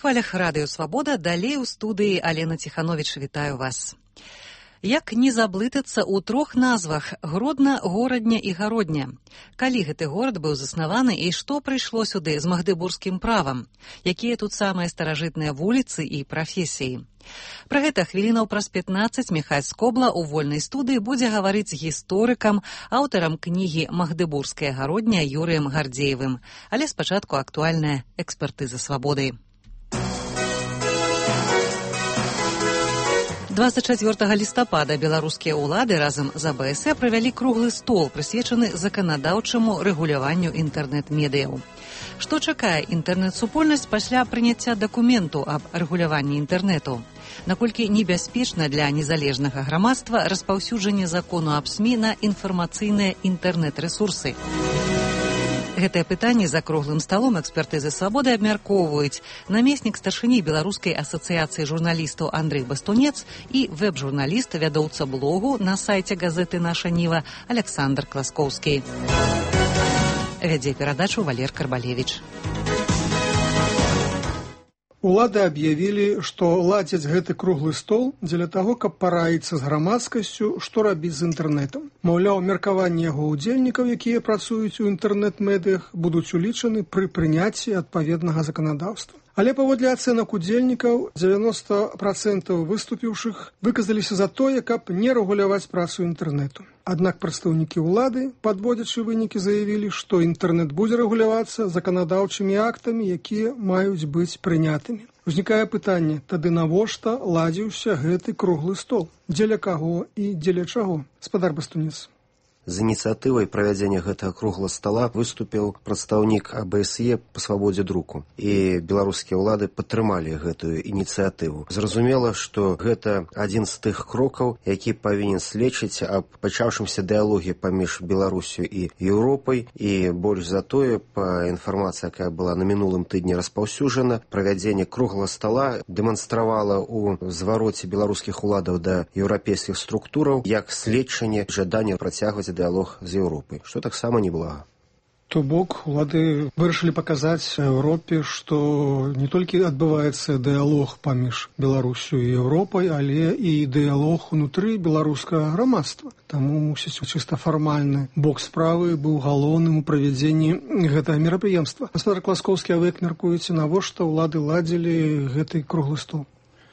хвалях радыё «Свабода», далей у студыі Алена Ціхановіч, вітаю вас. Як не заблытацца ў трох назвах Гродна, Горадня і Гародня? Калі гэты горад быў заснаваны і што прыйшло сюды з магдыбургскім правам? Якія тут самыя старажытныя вуліцы і прафесіі? Пра гэта хвілінаў праз 15 Міхась Скобла ў вольнай студыі будзе гаварыць з гісторыкам, аўтарам кнігі «Магдыбургская гародня» Юрыем Гардзеевым. Але спачатку актуальная экспертыза «Свабоды». 24 лістапада беларускія ўлады разам з АБС правялі круглы стол, прысвечаны заканадаўчаму рэгуляванню інтэрнэт-медыяў. Што чакае інтэрнэт-супольнасць пасля прыняцця дакументу аб рэгуляванні інтэрнэту? Наколькі небяспечна для незалежнага грамадства распаўсюджанне закону аб СМІ на інфармацыйныя інтэрнэт-рэсурсы? Гэтае пытанне за круглым сталом экспертызы «Свабоды» абмяркоўваюць намеснік старшыні Беларускай асацыяцыі журналістаў Андрэй Бастунец і вэб-журналіст, вядоўца блогу на сайце газеты «Наша Ніва» Александр Класкоўскі. Вядзе перадачу Валер Карбалевіч. Улады аб'явілі, што ладзяць гэты круглы стол дзеля таго, каб параіцца з грамадскасцю, што рабіць з інтэрнэтам. Маўляў, меркаванні яго ўдзельнікаў, якія працуюць у інтэрнэт-медыях, будуць улічаны пры прыняцці адпаведнага заканадаўства. Але паводле ацэнак удзельнікаў, 90% выступіўшых выказаліся за тое, каб не рэгуляваць працу інтэрнэту. Аднак прадстаўнікі ўлады, падводзячы вынікі, заявілі, што інтэрнэт будзе рэгулявацца заканадаўчымі актамі, якія маюць быць прынятымі. Узнікае пытанне, тады навошта ладзіўся гэты круглы стол? Дзеля каго і дзеля чаго? Спадар Бастунец. З ініцыятывай правядзення гэтага круглага стала выступіў прадстаўнік АБСЕ па свабодзе друку. І беларускія ўлады падтрымалі гэтую ініцыятыву. Зразумела, што гэта адзін з тых крокаў, які павінен сведчыць аб пачаўшымся дыялоге паміж Беларусю і Еўропай. І больш за тое, па інфармацыі, якая была на мінулым тыдні распаўсюджана, правядзенне круглага стала дэманстравала ў звароце беларускіх уладаў да еўрапейскіх структураў як сведчанне жадання працягваць дыялог з Еўропай, што таксама неблага. То бок, улады вырашылі паказаць Еўропе, што не толькі адбываецца дыялог паміж Беларусю і Еўропай, але і дыялог унутры беларускага грамадства. Таму, мусіць, чыста фармальны бок справы быў галоўным у правядзенні гэтага мерапрыемства. Гаспадар Класкоўскі, а вы як мяркуеце, навошта ўлады ладзілі гэты круглы стол?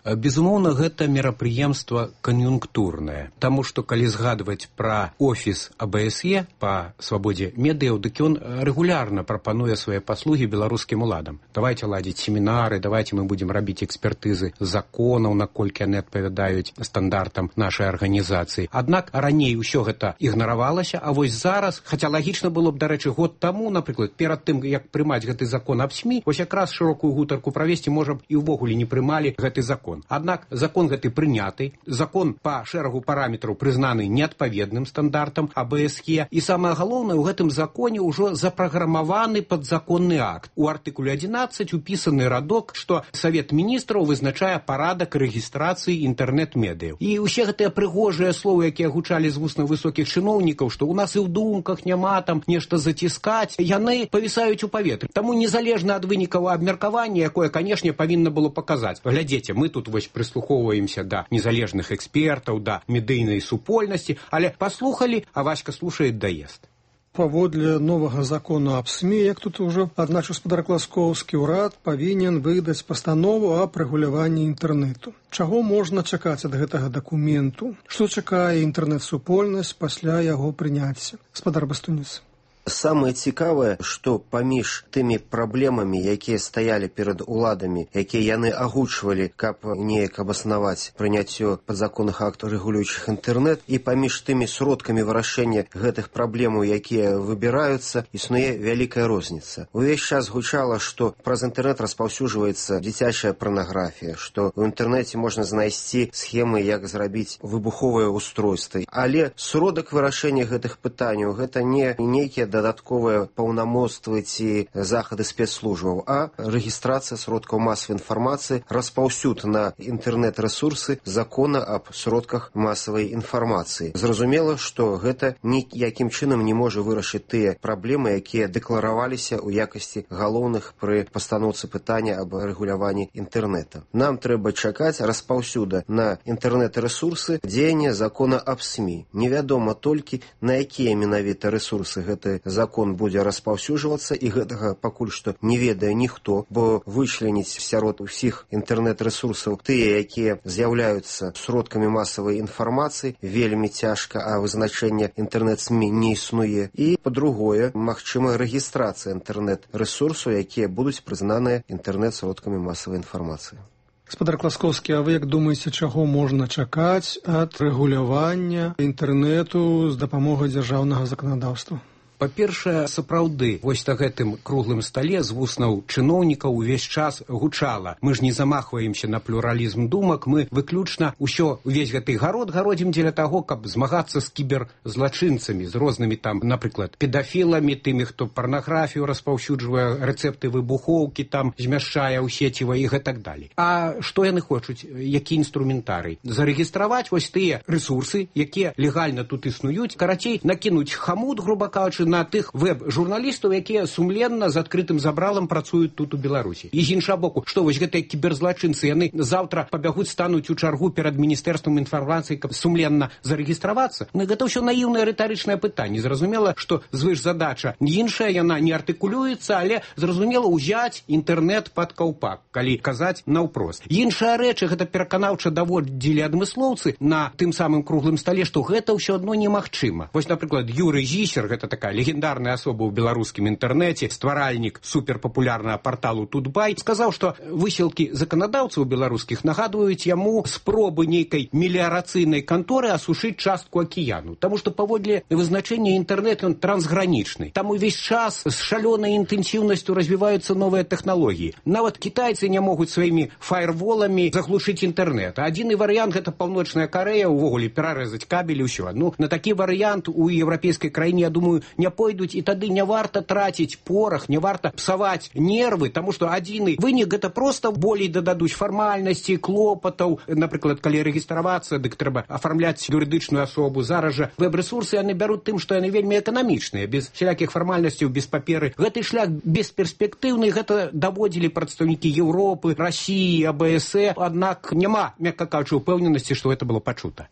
Безумоўна, гэта мерапрыемства кан'юнктурнае, таму што калі згадваць пра офіс АБСЕ па свабодзе медыяў, дык ён рэгулярна прапануе свае паслугі беларускім уладам. Давайце ладзіць семінары, давайце мы будзем рабіць экспертызы законаў, наколькі яны адпавядаюць стандартам нашай арганізацыі. Аднак раней усё гэта ігнаравалася, а вось зараз, хаця лагічна было б, дарэчы, год таму, напрыклад, перад тым, як прымаць гэты закон аб СМІ, вось якраз шырокую гутарку правесці, можа б, і ўвогуле не прымалі гэты закон. Аднак закон гэты прыняты, закон па шэрагу параметраў прызнаны неадпаведным стандартам АБСЕ, і самае галоўнае, у гэтым законе ўжо запраграмаваны падзаконны акт. У артыкуле 11 упісаны радок, што Савет міністраў вызначае парадак рэгістрацыі інтэрнэт-медыяў. І ўсе гэтыя прыгожыя словы, якія гучалі з вуснаў высокіх чыноўнікаў, што ў нас і ў думках няма там нешта заціскаць, яны павісаюць у паветры. Таму незалежна ад вынікаў абмеркавання, якое, канешне, павінна было паказаць. Глядзіце, мы тут вось прыслухоўваемся да незалежных экспертаў, да медыйнай супольнасці, але паслухалі, а Васька слушает, даест. Паводле новага закону аб СМІ, як тут ужо адзначыў гаспадар Класкоўскі, урад павінен выдаць пастанову аб рэгуляванні інтэрнэту. Чаго можна чакаць ад гэтага дакументу? Што чакае інтэрнэт-супольнасць пасля яго прыняцця? Гаспадар Бастунец. Самае цікавае, што паміж тымі праблемамі, якія стаялі перад уладамі, якія яны агучвалі, каб неяк абаснаваць прыняццё падзаконных актаў рэгулюючых інтэрнэт, і паміж тымі сродкамі вырашэння гэтых праблемаў, якія выбіраюцца, існуе вялікая розніца. Увесь час гучала, што праз інтэрнэт распаўсюджваецца дзіцячая парнаграфія, што ў інтэрнэце можна знайсці схемы, як зрабіць выбуховыя устройствы. Але сродак вырашэння гэтых пытанняў гэта не нейкія дадатковыя паўнамоцтвы ці захады спецслужбаў, а рэгістрацыя сродкаў масавай інфармацыі, распаўсюд на інтэрнэт-рэсурсы закона аб сродках масавай інфармацыі. Зразумела, што гэта ніякім чынам не можа вырашыць тыя праблемы, якія дэклараваліся ў якасці галоўных пры пастаноўцы пытання аб рэгуляванні інтэрнэта. Нам трэба чакаць распаўсюда на інтэрнэт-рэсурсы дзеяння закона аб СМІ. Невядома толькі, на якія менавіта рэсурсы гэты закон будзе распаўсюджвацца, і гэтага пакуль што не ведае ніхто, бо вычленіць сярод усіх інтэрнэт-рэсурсаў тыя, якія з'яўляюцца сродкамі масавай інфармацыі, вельмі цяжка, а вызначэнне інтэрнэт-СМІ не існуе. І, па-другое, магчыма рэгістрацыя інтэрнэт-рэсурсаў, якія будуць прызнаныя інтэрнэт-сродкамі масавай інфармацыі. Гаспадар Класкоўскі, а вы як думаеце, чаго можна чакаць ад рэгулявання інтэрнэту з дапамогай дзяржаўнага заканадаўства? Па-першае, сапраўды, вось на гэтым круглым стале з вуснаў чыноўнікаў увесь час гучала. Мы ж не замахваемся на плюралізм думак, мы выключна увесь гэты гарод гародзім дзеля таго, каб змагацца з кіберзлачынцамі, з рознымі там, напрыклад, педафіламі, тымі, хто парнаграфію распаўсюджвае, рэцэпты выбухоўкі там змяшчае ў сеціва і гэтак далей. А што яны хочуць? Які інструментарый? Зарэгістраваць вось тыя рэсурсы, якія легальна тут існуюць, карацей, накінуць хамут, груба кажучы, на тых веб-журналістаў, якія сумленна з адкрытым забралам працуюць тут у Беларусі. І з іншага боку, што вось гэтыя кіберзлачынцы, яны заўтра пабягуць, стануць у чаргу перад міністэрствам інфармацыі, каб сумленна зарэгістравацца? Ну, гэта ўсё наіўнае рытарычнае пытанне. Зразумела, што звышзадача іншая, яна не артыкулюецца, але зразумела ўзяць інтэрнэт пад каўпак, калі казаць наўпрост. Іншая рэч, гэта пераканаўча даводзілі адмыслоўцы на тым самым круглым стале, што гэта ўсё адно немагчыма. Вось, напрыклад, Юрый Зісер, гэта такая легендарная асоба ў беларускім інтэрнэце, стваральнік суперпапулярнага парталу Тутбай, сказаў, што высілкі заканадаўцаў беларускіх нагадваюць яму спробы нейкай меліярацыйнай канторы асушыць частку акіяну. Таму што паводле вызначэння інтэрнэт ён трансгранічны. Там увесь час з шалёнай інтэнсіўнасцю развіваюцца новыя тэхналогіі. Нават кітайцы не могуць сваімі фаерволамі заглушыць інтэрнэт. Адзіны варыянт — гэта Паўночная Карэя, увогуле перарэзаць кабель і ўсё. Ну, на такі варыянт у еўрапейскай краіне, я думаю, не пойдуць, і тады не варта траціць порах, не варта псаваць нервы, таму што адзіны вынік — гэта проста болей дададуць фармальнасці, клопатаў. Напрыклад, калі рэгістравацца, дык трэба афармляць юрыдычную асобу. Зараз жа вэб-рэсурсы яны бяруць тым, што яны вельмі эканамічныя, без всялякіх фармальнасцяў, без паперы. Гэты шлях бесперспектыўны, гэта даводзілі прадстаўнікі Еўропы, Расіі, АБС, аднак няма, мякка кажучы, упэўненасці, што гэта было пачута.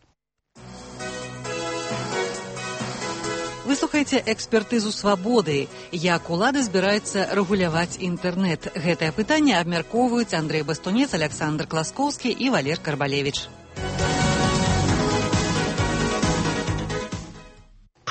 Вы слухаеце экспертызу «Свабоды». Як улада збіраецца рэгуляваць інтэрнэт? Гэтае пытанне абмяркоўваюць Андрэй Бастунец, Александр Класкоўскі і Валер Карбалевіч.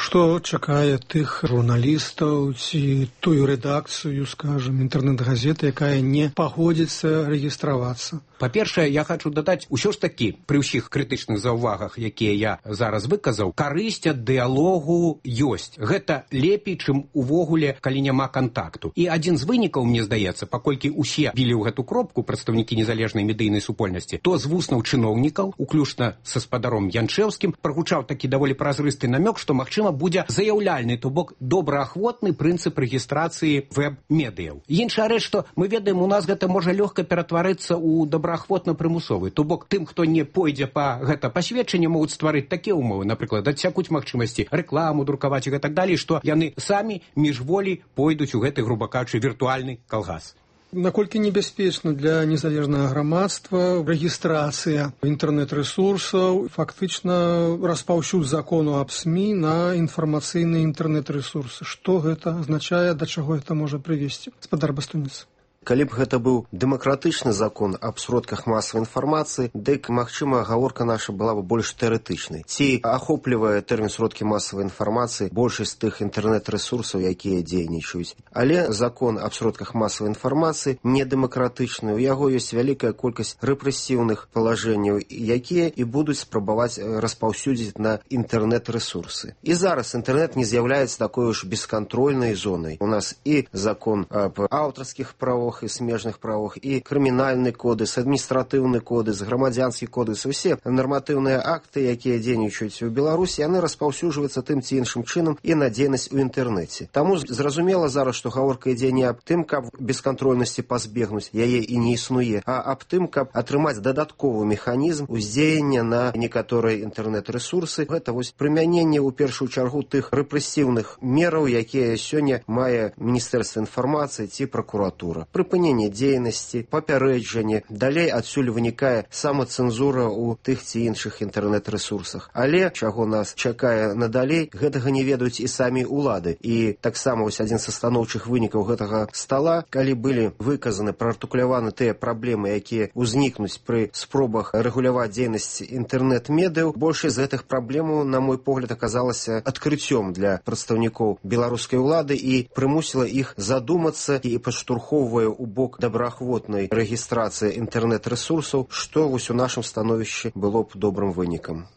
Што чакае тых журналістаў ці тую рэдакцыю, скажам, інтэрнэт-газеты, якая не пагодзіцца рэгістравацца? Па-першае, я хочу дадаць, усё ж такі, пры ўсіх крытычных заўвагах, якія я зараз выказаў, карысць ад дыялогу ёсць. Гэта лепей, чым увогуле, калі няма кантакту. І адзін з вынікаў, мне здаецца, паколькі ўсе білі ў гэту кропку прадстаўнікі незалежнай медыйнай супольнасці, то з вуснаў чыноўнікаў, уключна са спадаром Янчэўскім, прагучаў такі даволі празрысты намёк, што, магчыма, будзе заяўляльны, то бок добраахвотны прынцып рэгістрацыі веб-медыяў. Іншая рэч, што мы ведаем, у нас гэта можа лёгка ператварыцца ў добраахвотна-прымусовы. То бок тым, хто не пойдзе па гэта пасведчанне, могуць стварыць такія ўмовы, напрыклад, адсякуць магчымасці рэкламу друкаваць і гэтак далей, што яны самі міжволі пойдуць у гэты, груба кажучы, віртуальны калгас. Наколькі небяспечна для незалежнага грамадства рэгістрацыя інтэрнэт-рэсурсаў, фактычна распаўсюд закону аб СМІ на інфармацыйныя інтэрнэт-рэсурсы? Што гэта азначае, да чаго гэта можа прывесці? Гаспадар Бастунец. Калі б гэта быў дэмакратычны закон аб сродках масавай інфармацыі, дык, магчыма, гаворка наша была б больш тэарэтычнай. Ці ахоплівае тэрмін сродкі масавай інфармацыі большасць тых інтэрнэт-рэсурсаў, якія дзейнічаюць. Але закон аб сродках масавай інфармацыі не дэмакратычны. У яго ёсць вялікая колькасць рэпрэсіўных палажэнняў, якія і будуць спрабаваць распаўсюдзіць на інтэрнэт-рэсурсы. І зараз інтэрнэт не з'яўляецца такой уж бескантрольнай зонай. У нас і закон аб аўтарскіх правах, правах і смежных правах, і крымінальны кодекс, адміністратыўны кодекс, грамадзянскі кодекс, усе нарматыўныя акты, якія дзейнічаюць у Беларусі, яны распаўсюджваюцца тым ці іншым чынам і на дзейнасць у інтэрнэце. Таму зразумела зараз, што гаворка ідзе не аб тым, каб бескантрольнасці пазбегнуць, яе і не існуе, а аб тым, каб атрымаць дадатковы механізм уздзеяння на некаторыя інтэрнэт-рэсурсы. Гэта вось прымяненне ў першую чаргу тых рэпрэсіўных мераў, якія сёння мае Міністэрства інфармацыі ці пракуратура. Прыпыненне дзейнасці, папярэджанне, далей адсюль вынікае самацэнзура ў тых ці іншых інтэрнэт-рэсурсах. Але чаго нас чакае надалей, гэтага не ведаюць і самі ўлады. І таксама вось адзін са станоўчых вынікаў гэтага стала, калі былі выказаны, праартыкуляваны тыя праблемы, якія ўзнікнуць пры спробах рэгуляваць дзейнасць інтэрнэт-медыяў, большасць з гэтых праблемаў, на мой погляд, аказалася адкрыццём для прадстаўнікоў беларускай улады і прымусіла іх задумацца і падштурхоўвае ў бок добраахвотнай рэгістрацыі інтэрнэт-рэсурсаў, што вось у нашым становішчы было б добрым вынікам.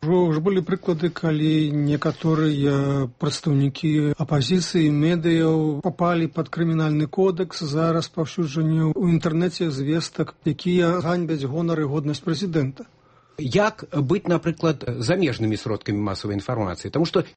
Уже былі прыклады, калі некаторыя прадстаўнікі апазіцыі, медыяў папалі пад крымінальны кодекс за распаўсюджанне ў інтэрнэце звестак, якія ганьбяць гонар і годнасць прэзідэнта. Як быць, напрыклад, замежнымі сродкамі масавай інфармацыі? Таму што